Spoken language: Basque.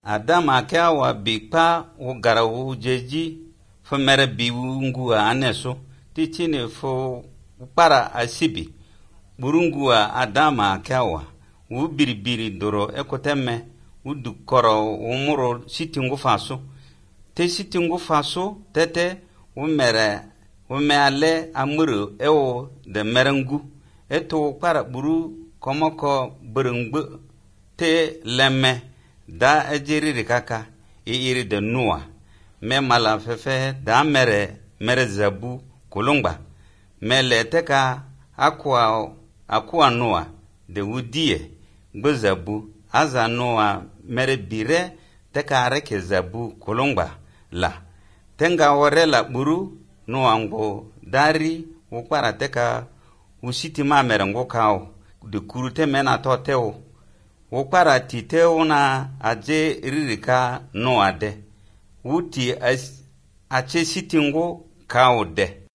Adama kawa bikpa wo gara wo jeji fo mere biwungua aneso tichine fo para asibi burungua Adama kawa wo biribiri doro ekoteme wo dukoro wo muro sitingu faso te sitingu faso tete wo meale amuru ewo de merengu eto para buru komoko burungbu te lemme da ejiri rikaka iri de nuwa me mala fefe da mere zabu kulungba me leteka akwa nuwa de wudie gbo zabu aza nuwa mere bire teka areke zabu kulungba la tenga warela buru nuwa ngo dari ukpara teka usiti ma mere ngo kao de kurute mena toteo ukpara titeo na aje ririka no ade wuti ache sitingo kao de